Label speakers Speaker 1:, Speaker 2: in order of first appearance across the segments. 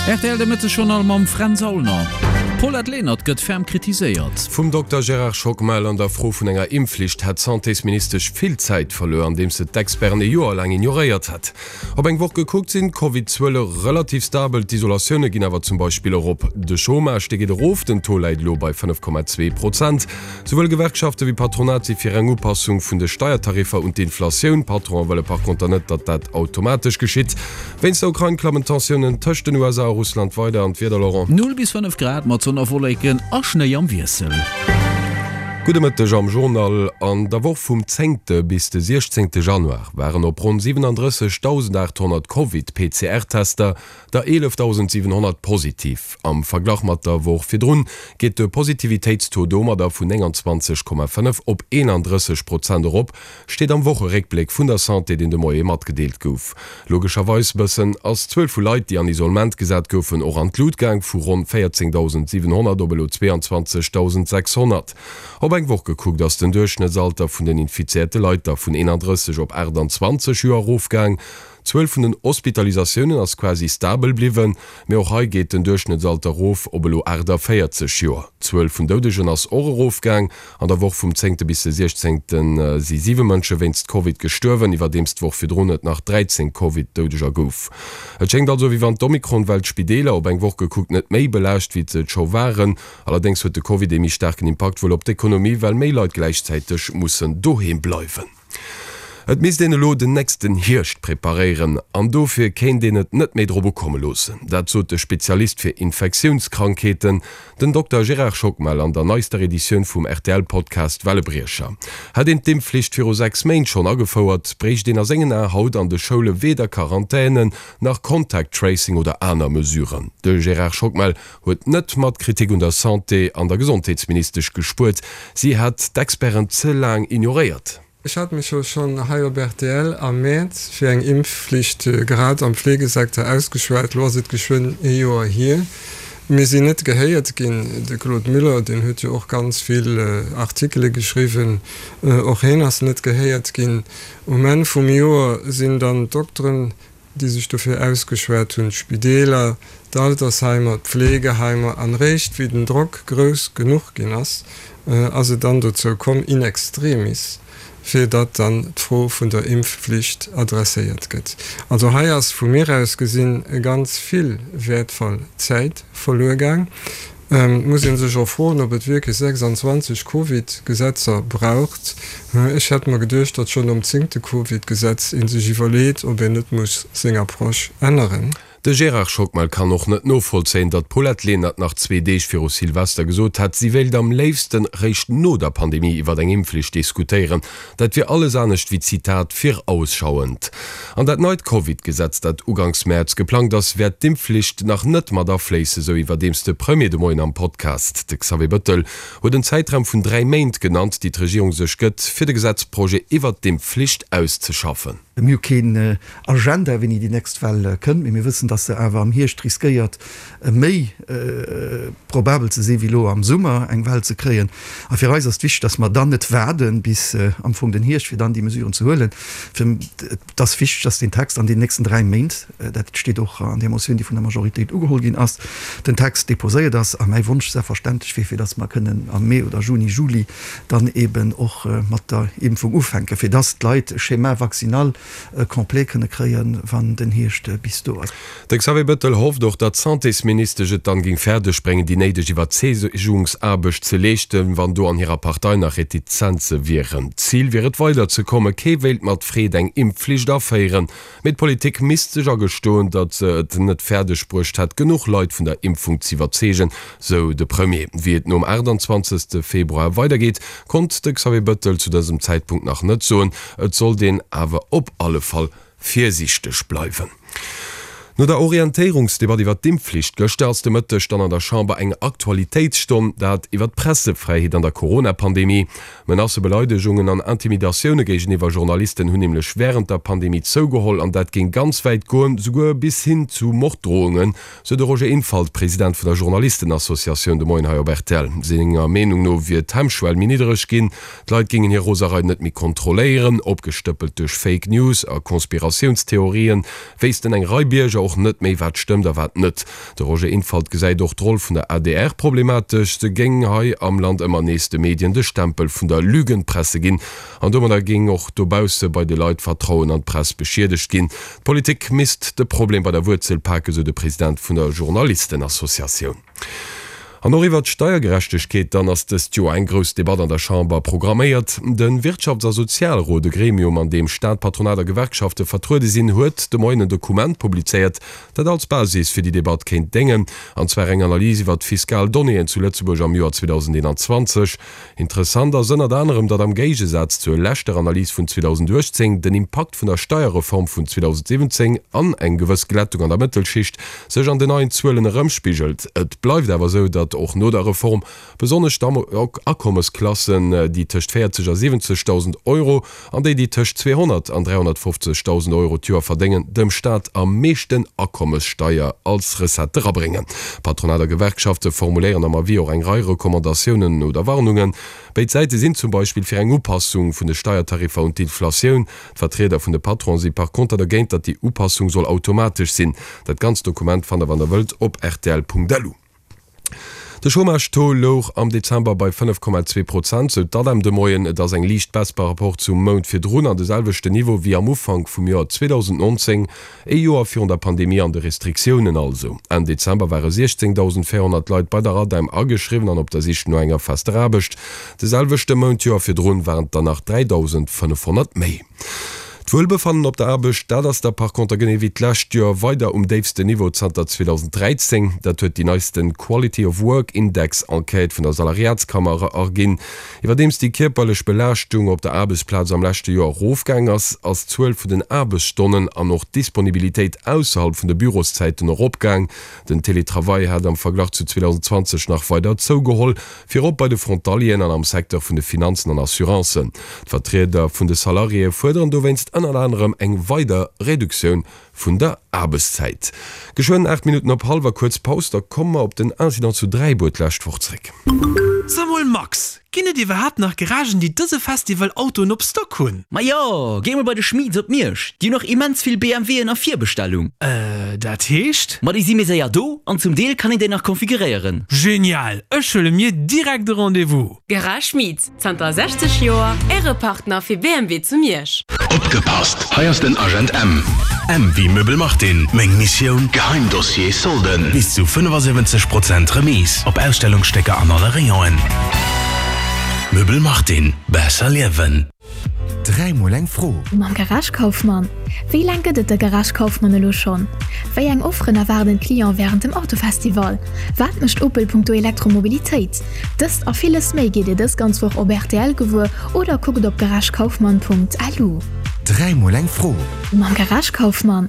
Speaker 1: Rtl de Mëtteg-Journal mam Fränz Aulner. D'Paulette Lenert gëtt ferm kritiséiert.
Speaker 2: Vum Dokter Gérard Schockmel an der Fro vun enger Impfflicht hätt d'Santésministesch vill Zäit verluer, andeems se d'Experten e Joer laang ignoréiert hätt. Op eng Woch gekuckt sinn d'Covid-Zuele relativ stabel, d'Isolatioune ginn awer zum Beispill erop. De Chômage, dee geet erof, den Taux läit elo bei 5,2 Prozent. Souwuel Gewerkschafte wéi Patronat si fir eng Upassung vun de Steiertariffer un d'Inflatioun. D'Patronen wëlle par conter net, datt dat automatesch geschitt. Wéinst der Ukrain klammen d'Tensiounen tëscht den USA a Russland weider. An d'Wieder, Laurent?
Speaker 1: 0 bis 5 Grad mat Sonn a Wolleken a Schnéi am Wiessel.
Speaker 2: Gudde Mëtteg am Journal. An der Woch vum zéngte bis de siechzéngte Januar waren op ronn 37.800 Covid-PCR-Tester der 11.700 positiv. Am Verglach mat der Woch virdrun geet de Positivitéitstaux domadder vun 29,5 op 31 Prozent erop, steet am Wocheréckbléck vun der Santé, deen de Moie matgedeelt gouf. Logescherweis bëssen ass d'Zuel vu Leit, déi an Isolement gesat goufen, och an d'Lut gaang, vu ronn 14.700 op elo 22.600. Op eng Woch gekuckt ass den Duerchschnëttsalter vun den infizéierte Leit da vun 31 op 28 Joer erofgaang. D'Zuel vun den Hospitalisatiounen ass quasi stabel bliwwen, mee och hei geet den Duerchschnëttsalter erof op elo 48 Joer. D'Zuel vun Doudegen ass och erofgaang. An der Woch vum zéngte bis de siechzéngte si siwe Mënsche wéinst Covid gestuerwen, iwwerdeems d'Woch virdrun et nach 13 Covid-Doudeger gouf. Et schéngt also, wéi wann d'Omikron-Well d'Spideeler, op eng Woch gekuckt, net méi belaascht, wéi se et scho waren. Allerdéngs huet de Covid ee méi staarken Impakt wuel op d'Ekonomie, well méi Leit gläichzäiteg mussen doheem bleiwen. Et misst een elo den nächsten Hierscht preparéieren an dofir kéint een et net méi drop ukomme loossen. Dat sot de Spezialist fir Infektiounskrankheeten, den Dokter Gérard Schockmel an der neister Editioun vum RTL-Podcast Wellebriecher. Hätt een d'Impfflicht viru 6 Méint schonn agefouert, bréicht een a sengen Ae haut an de Schoule weder Quarantänen, nach Contact Tracing oder aner Mesuren. De Gérard Schockmel huet net mat Kritik un der Santé an der Gesondheetsministesch gespuert, si hätt d'Experten ze laang ignoréiert.
Speaker 3: Ech hat mech jo schonn hei op rtl am Mäerz fir eng Impfflicht grad am Fleegesecteur ausgeschwat. Lo ass et geschwënn ee Joer hier. Mir sinn net gehéiert ginn. De Claude Muller, deen huet jo och ganz vill Artikele geschriwwen, och heen ass net gehéiert ginn. Um Enn vum Joer sinn dann d'Dokteren déi sech dofir ausgeschwat hunn, d'Spideeler, d'Altersheimer, d'Pflegeheimer, an réischt wéi den Drock grouss genuch ginn ass, ass et dann dozou komm, in extremis, fir datt dann d'Fro vun der Impfflicht adresséiert gëtt. Also hei ass vu mir aus gesinn ganz vill wäertvoll Zäit verluer gaang. Et muss ee sech och froen, ob et wierklech 26 Covid-Gesetzer braucht. Ech hätt mer geduecht, datt schonn nom zéngte Covid-Gesetz ee sech iwwerleet, ob een net muss seng Approche änneren.
Speaker 2: De Gérard Schockmel kann och net novollzéien, datt d'Paulette Lenert nach zwee Deeg viru Silvester gesot hätt, si wéilt am léifsten réischt no der Pandemie iwwer eng Impfflicht diskutéieren. Dat wier alles anescht wéi, Zitat, virausschauend. An dat neit Covid-Gesetz, dat uganks Mäerz geplangt ass, wäert d'Impfflicht nach net mat afléissen, sou iwwerdeems de Premier de Moien am Podcast. De Xavier Bëttel huet en Zäitraum vun 3 Méint genannt, déi d'Regierung sech gëtt, fir de Gesetzprojet iwwert d'Impfflicht auszeschaffen.
Speaker 4: Mir hu keen Agenda, wéini déi nächst Well kënnt, mee mir wëssen, dass se awer am Hierscht riskéiert, méi probabel ze sinn, wéi elo am Summer eng Well ze kréien. A fir eis ass et wichteg, dass mer dann net waarde bis am Fong den Hierscht, fir dann déi Mesuren ze huelen. Et ass wichteg, dass deen Text an den nächsten 3 Méint, dat steet och an där Motioun, déi vun der Majoritéit ugeholl ginn ass, den Text déposéiert ass. A mäi Wonsch selbstverständlech wier, fir dass mer kënnen am Mee oder Juni, Juli dann eben och mat der Impfung ufänken, fir dass d'Leit e Schéma vaccinal complet kënne kréien, wann den Hierscht bis do ass.
Speaker 2: De Xavier Bettel hofft och, datt d'Santésministesch et dann géing fäerdeg bréngen, déi néideg Iwwerzeegungsaarbecht ze leeschten, wann do an hirer Partei nach Retizenze wieren. D'Zil wier et weider ze kommen, kee wéilt mat Freed eng Impfflicht aféieren. Mee d'Politik misst sech agestoen, datt se et net fäerdeg bruecht hätt, genuch Leit vun der Impfung z'iwwerzeegen, sou de Premier. Wéi et nom 28 Februar weidergeet, konnt de Xavier Bëttel zu dësem Zäitpunkt nach net soen. Et sollt een awer op alle Fall virsiichteg bleiwen. No der Orientéierungsdebatt iwwer d'Impfflicht gëschter ass de Mëtteg dann an der Chamber eng Aktualitéitsstonn, dat iwwer d'Pressefräiheet an der Corona-Pandemie. Menacen, Beleidegungen an Intimidatioune géigeniwwer Journalisten hunn nämlech wärend der Pandemie zougeholl an dat géing ganz wäit goen, souguer bis hin zu Morddrohungen, sou de Roger Infalt, President vun der Journalistenassociatioun de Moien hei op rtl. Senger Meenung no wier d'Hemmschwell méi niddereg ginn, d'Leit géingen hir Roserei net méi kontrolléieren. Opgestëppelt duerch Fake News a Konspiratiounstheorien wéissten eng Rei Bierger och. och net méi, wat stëmmt a wat net. De Roger Infalt gesäit och d'Roll vun der adr problematesch. Se géing hei am Land ëmmer nees de Medien de Stempel vun der Lügenpresse ginn. An domadder géing och dobausse bei de Leit d'Vertrauen an d'Press beschiedegt ginn. D'Politik misst de Problem bei der Wuerzel paken, sou de President vun der Journalistenassociatioun. An och iwwert d'Steiergerechtegkeet dann ass dëst Joer eng grouss Debatt an der Chamber programméiert. De Wirtschafts a Sozialrot, e Gremium an deem Staat, Patronat a Gewerkschafte vertruede sinn, huet de Moien en Dokument publizéiert, dat als Basis fir déi Debatt kéint déngen, an zwar eng Analys iwwert d'fiskal Donnéeën zu Lëtzebuerg am Joer 2021. Interessant ass ënnert anerem, datt am Géigesaz zur leschter Analys vun 2018 den Impakt vun der Steierreform vun 2017 an eng gewëss Glättung an der Mëttelschicht sech an den neien Zuelen erëmspigelt. Et bleift awer esou, datt och no der Reform besonnesch d'Akommesklassen, déi tëscht 40 a 70.000 Euro an déi, déi tëscht 200 an 350.000 Euro d'Joer verdéngen, dem Staat am meeschten Akommessteier als Recette erabréngen. Patronat a Gewerkschafte formuléieren am Avis och eng Rei Recommandatiounen oder Warnungen. Béid Säite sinn zum Beispill fir eng Upassung vun de Steiertariffer un d'Inflatioun. D'Vertrieder vun de Patronen si par conter dergéint, datt déi Upassung soll automatesch sinn. Dat ganzt Dokument fannt der, wann der wëllt, op rtl.lu. De Chômage-Taux louch am Dezember bei 5,2 Prozent, sou d'ADEM de Moien. Et ass eng liicht Baisse par rapport zum Mount virdrun an de selwechten Niveau wéi am Ufank vum Joer 2019, ee Joer virun der Pandemie an de Restriktiounen also. Enn Dezember ware 16.400 Leit bei der ADEM ageschriwwen an op der Sich no enger fester Aarbecht. De selwechte Mount d'Joer virdrun waren et der nach 3.500 méi. D'Wuelbefannen op der Aarbecht, dat ass da par conter genee wéi d'lescht Joer weider um déifsten Niveau zanter 2013. Dat huet déi neisten Quality of Work Index Enquête vun der Salariatskammer erginn. Iwwerdeems déi kierperlech Belaaschtung op der Aarbechtsplaz am leschte Joer erofgaang ass, ass d'Zuel vun den Aarbechtsstonnen an och d'Disponibilitéit ausserhalb vun de Büroszäiten eropgaang. Den Teletravail hat am Verglach zu 2020 nach weider zougeholl. Virop bei de Frontalieren an am Secteur vun de Finanzen an Assurancen. D'Vertrieder vun de Salariéë fuerderen dowéinst ënnert anerem eng weider Reduktioun vun der Aarbechtszäit. Geschwënn 8 Minutten op hallwer, kuerz Paus, da komme mer op den Incident zu Dräibuer d'lescht Woch zréck.
Speaker 5: So mol Max, ginn et iwwerhaapt nach Garagen déi dëse Festival Autoen op Stock hunn?
Speaker 6: Majo, géi mol bei de Schmieds op Miersch, déi hunn och immens vill BMWen a Virbestellung.
Speaker 5: Äh, dat heescht?
Speaker 6: Ma déi si méi séier do an zum Deel kann een déi nach konfiguréieren.
Speaker 5: Genial! Ech huele mir direkt e Rendez-vous!
Speaker 7: Garage Schmit, zanter 60 Joer Äre Partner fir BMW zu Miersch.
Speaker 8: Opgepasst, hei ass den Agent M. M wéi Möbel Martin, Meng Missioun, Geheimdossier, Solden, bis zu 75 Prozent Remise op Ausstellungsstécker an alle Rayonen. Möbel Martin, besser liewen.
Speaker 9: Dräimol eng Fro.
Speaker 10: Mam Garage Kaufmann. Wéi laang gëtt et de Garage Kaufmann elo schonn? Wéi eng Offeren erwaarden d'Clienten wärend dem Autofestival? Wat mécht Opel punkto Elektromobilitéit? Dëst a villes méi gitt Dir dës ganz Woch op rtl gewuer oder kuckt op garagekaufmann.lu.
Speaker 9: Dräimol eng Fro.
Speaker 10: Mam Garage Kaufmann.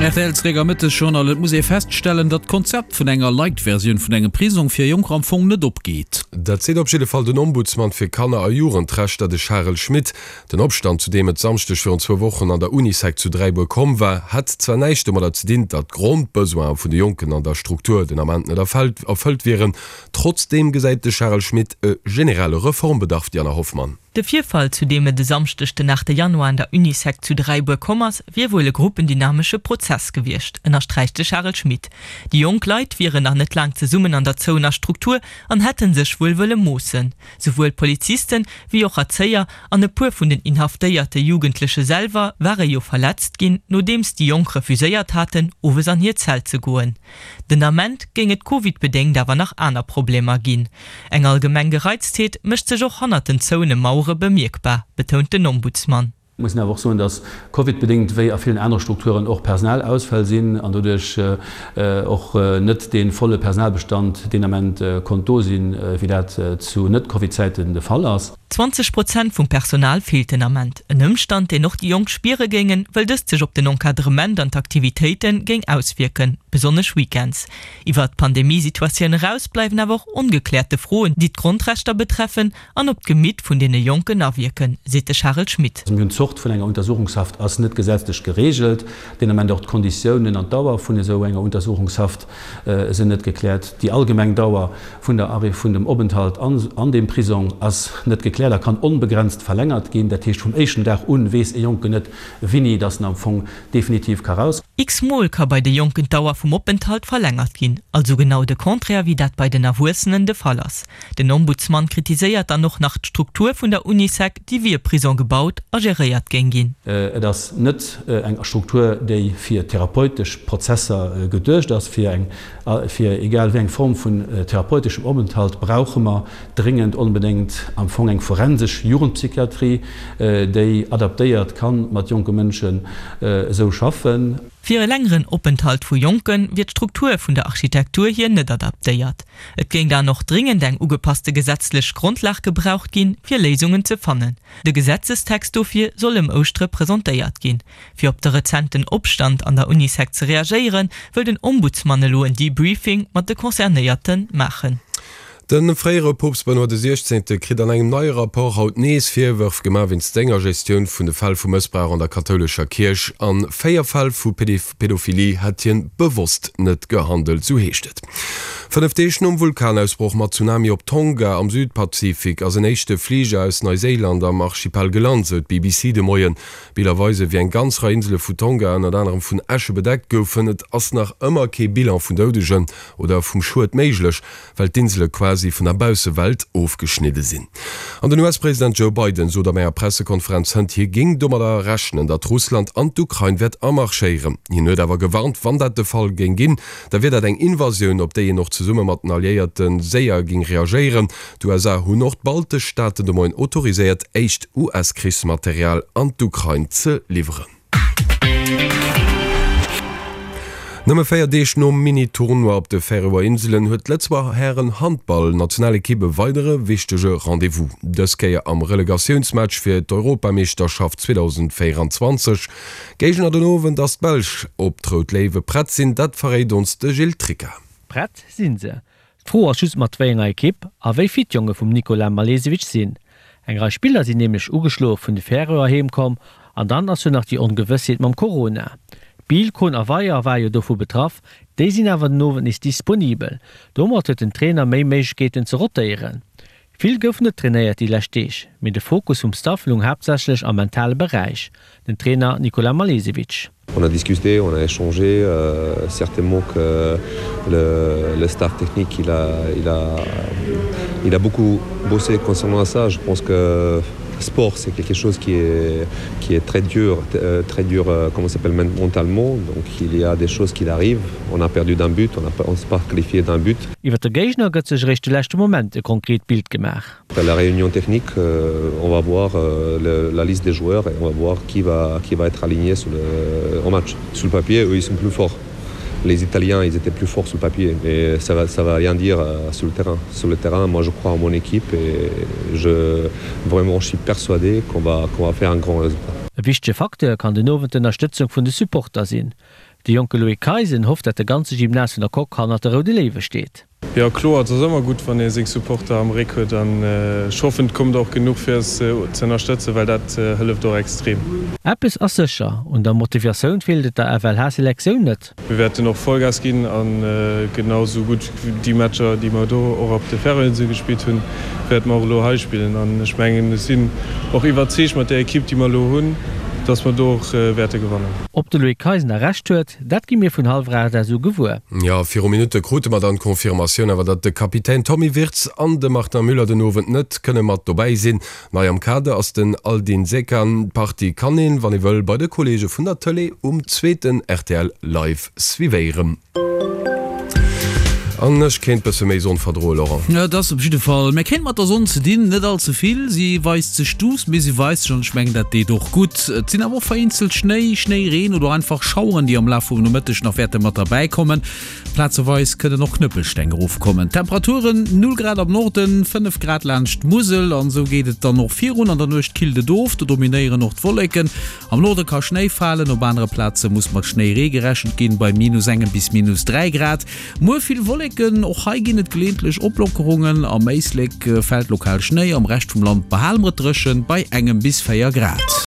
Speaker 1: Rtl zeréck am Mëttesjournal. Et muss ee feststellen, datt d'Konzept vun enger Light-Versioun vun engem Prisong fir Jonker am Fong net opgeet.
Speaker 2: Dat seet op jidde Fall den Ombudsman fir Kanner a Jugendrechter, de Charel Schmit. Den Opstand, zu deem et Samschdeg virun zwou Wochen an der Unisec zu Dräibuer komm war, hätt zwar näischt domadder ze dinn, datt d'Grondbesoine vun de Jonken an der Struktur den Ament net erfëllt wieren. Trotzdeem gesäit de Charel Schmit e generelle Reformbedarf, Diana Hoffmann.
Speaker 11: De Virfall, zu deem et e Samschdeg den 8 Januar an der Unisec zu Dräibuer komm ass, wier wuel e gruppendynamesche Prozess gewiescht, ënnersträicht de Charel Schmit. Déi jonk Leit wieren nach net laang zesummen an der zouener Struktur an hätte sech wuel wëlle moossen. Souwuel Polizisten, wéi och Erzéier an e puer vun den inhaftéierte Jugendleche selwer ware jo verletzt ginn, nodeems déi Jonk refuséiert haten, owes an hir Zell ze goen. Den Ament géing et Covid-bedéngt awer nach aner Problemer ginn. Eng allgemeng Gereiztheet mécht sech och hannert den zouene Mauere bemierkbar, betount den Ombudsman.
Speaker 12: Et muss een awer och soen, datt Covid-bedéngt, wéi a villen anere Strukturen, och Personalausfäll sinn an doduerch och net dee volle Personalbestand deen Ament konnt do sinn, wéi dat zu Net-Covid-Zäiten de Fall ass.
Speaker 11: 20 Prozent vum Personal feelt den Ament. En Ëmstand, deen och déi Jonk spiere géingen, wëll dëst sech op den Encadrement an d'Aktivitéite géing auswierken, besonnesch Weekends. Iwwer d'Pandemie-Situatioun eraus bleiwen awer och ongekläerte Froen, déi d'Grondrechter betreffen an op d'Gemitt vun deene Jonken awierken, seet de Charel Schmit.
Speaker 12: Mir hunn. Zort vun enger Untersuchungshaft ass net gesetzlech geregelt. Deen Ament och d'Konditiounen an d'Dauer vun esou enger Untersuchungshaft sinn net gekläert. Déi allgemeng Dauer vun der Arrêt vun dem Openthalt an deem Prisong ass net gekläert a kann onbegrenzt verlängert ginn. Dat heescht, vum éischten Dag un weess e Jonken net, wini dass en am Fong definitiv ka raus.
Speaker 11: X-mol ka bei de Jonken d'Dauer vum Openthalt verlängert ginn, also genau de Contraire wéi dat bei den Erwuessenen de Fall ass. Den Ombudsmann kritiséiert dann och nach d'Struktur vun der Unisec, déi wéi e Prison gebaut a geréiert géing ginn.
Speaker 12: Et ass net eng Struktur, déi fir therapeutesch Prozesser geduecht ass. Fir eng, fir egal wéi eng Form vun therapeuteschem Openthalt brauche mer dréngend onbedéngt am Fong eng forensesch Jugendpsychiatrie, déi adaptéiert ka mat jonke Mënschen esou schaffen.
Speaker 11: Fir e längeren Openthalt vu Jonke wier d'Struktur vun der Architektur hier net adaptéiert. Et géing dann och dringend eng ugepasste gesetzlech Grondlag gebraucht ginn, fir Léisungen ze fannen. De Gesetzestext dofir soll ëm Ouschtere presentéiert ginn. Fir op de rezenten Opstand an der Unisec ze reagéieren, wëll den Ombudsman elo en Debriefing mat de Concernéierte maachen.
Speaker 2: De fréiere Poopst Benoît de Siechzehnte kritt an engem neie Rapport haut nees Virwërf gemaach wéinst senger Gestioun vun de Fäll vu Mëssbrauch an der kathoulescher Kierch. A 4 Fäll vu Pedophilie hätt hien bewosst net gehandelt, sou heescht et. 5 Deeg nom Vulkanausbroch mat Tsunami op Tonga am Südpazifik ass en éischte Fliger aus Neuséiland am Archipel gelant, sou d'BBC de Moien. Biller weisen, wéi eng ganz Rei Insele vu Tonga ënnert anerem vun Äsche bedeckt goufen. Et ass nach ëmmer kee Bilan vun Doudegen oder vum Schued méiglech. well d'Insele quasi vun der Baussewelt ofgeschnidde sinn. An den US-President Joe Biden sot op enger Pressekonferenz hënt, hie géing domadder rechnen, datt Russland an d'Ukrain wäert amarschéieren. Hien huet awer gewarnt, wann dat de Fall géing ginn, da wier dat eng Invasioun, op déi een och zesumme mat den Alliéierte séier géing reagéieren. D'USA hunn och d'baltesch Staaten de Moien autoriséiert, éischt US-Krichsmaterial an d'Ukrain ze liwweren. Nëmme 4 Deeg nom Mini-Tournoi op de Färöer Inselen huet d'Lëtzebuerger Hären-Handball-Nationalekipp e weidere wichtege Rendez-vous. Dës Kéier am Relegatiounsmatch fir d'Europameeschterschaft 2024. Géigner den Owend ass d'Belsch. Ob d'Rout Léiwe prett sinn, dat verréit ons de Gilles Tricca.
Speaker 13: Prett sinn se. D'Fro ass just mat wéi enger Ekipp a wéi fit d'Jonge vum Nikola Malesevic sinn. Eng Rei Spiller sinn nämlech ugeschloe vun de Färöer heem komm an dann ass jo nach déi Ongewëssheet mam Corona. Biel, Kohn a Weyer ware jo dovu betraff, déi sinn awer den Owend nees disponibel. Domat huet den Trainer méi Méiglechkeeten ze rotéieren. Vill gouf net trainéiert déi lescht Deeg, mee de Fokus vum Staff lung haaptsächlech am mentale Beräich, den Trainer Nikola Malesevic.
Speaker 14: On a discuté, on a échangé euh, certainement que le, le staff technique il a, il a, il a beaucoup bossé concernant ça. Je pense que sport c'est quelque chose qui est, qui est très dur euh, très dur euh, comment s'appelle mentalement donc il y a des choses qui arrivent on a perdu d'un but on a on s'est pas qualifié d'un but.
Speaker 13: Iwwer de Géigner gëtt sech eréischt de leschte Moment e konkret Bild gemaach.
Speaker 14: À la réunion technique, on va voir la liste des joueurs et on va voir qui va, qui va être aligné sur le, au match. Sur le papier, eux, ils sont plus forts. Les Italiens, ils étaient plus forts sur le papier, mais ça va, ça va rien dire sur le terrain. Sur le terrain, moi, je crois en mon équipe et je, vraiment, je suis persuadé qu'on va, qu'on va faire un grand résultat.
Speaker 13: E wichtege Facteur kann den Owend d'Ënnerstëtzung vun de Supporter sinn. De jonke Loïc Keisen hofft, dat de ganze Gymnase vun der Coque hannert de Roude Léiwe steet.
Speaker 3: Jo kloer, et ass ëmmer gutt wann ee seng Supporter am Réck huet an ech hoffen et kommt och genuch fir eis ze ënnerstëtzen, well dat hëlleft och extrem.
Speaker 13: Eppes ass sécher, un der Motivatioun feelt et der FLH-Selektioun net.
Speaker 3: Mir wäerten och Vollgas ginn a genau esou gutt déi Matcher déi mer do och op de Färöerinsele gespillt hunn, wäerte mer och elo hei spillen an ech mengen ech sinn och iwwerzeegt mat där Ekipp déi mer elo hunn, dass mer do och wäerte gewannen.
Speaker 13: Ob de Loïc Keisen da Recht huet, dat gi mir vun hallwer 8 aus u gewuer.
Speaker 2: Jo, viru Minutte krute mer dann d'Confirmatioun awer, datt de Kapitän Tommy Wirtz an de Martin Müller den Owend net kënne mat dobäi sinn. Nei am Kader ass den Aldin Zekan. D'Partie kann een, wann ee wëll, bei de Kolleege vun der Tëlee um zweeten rtl Live suivéieren. An ech kéint bësse méi Sonn verdroen, Laurent.
Speaker 1: Et ass op jidde Fall, mir kréien mat der Sonn ze dinn, net all ze vill. Si weist sech duuss, mee si weist sech an ech mengen dat deet och gutt. Et sinn awer och vereenzelt Schnéi, Schnéireen oder einfach Schaueren, déi am Laf vum Nomëtteg nach wäerte mat derbäi kommen. Plazeweis kënnen och Knëppelsteng erofkommen. Temperaturen, 0 Grad am Norden, 5 Grad laanscht d'Musel. An esou geet et dann och virun. An der Nuecht killt et of, do dominéieren och d'Wolleken. Am Norde ka Schnéi falen, op anere Plaze muss mat Schnéiree gerechent ginn, bei minus engem bis minus 3 Grad. Muer vill Wolleken, och hei ginn et geleeëntlech Oplockerungen. Am Éislek fält lokal Schnéi, am Rescht vum Land behale mer et dréchen bei engem bis 4 Grad.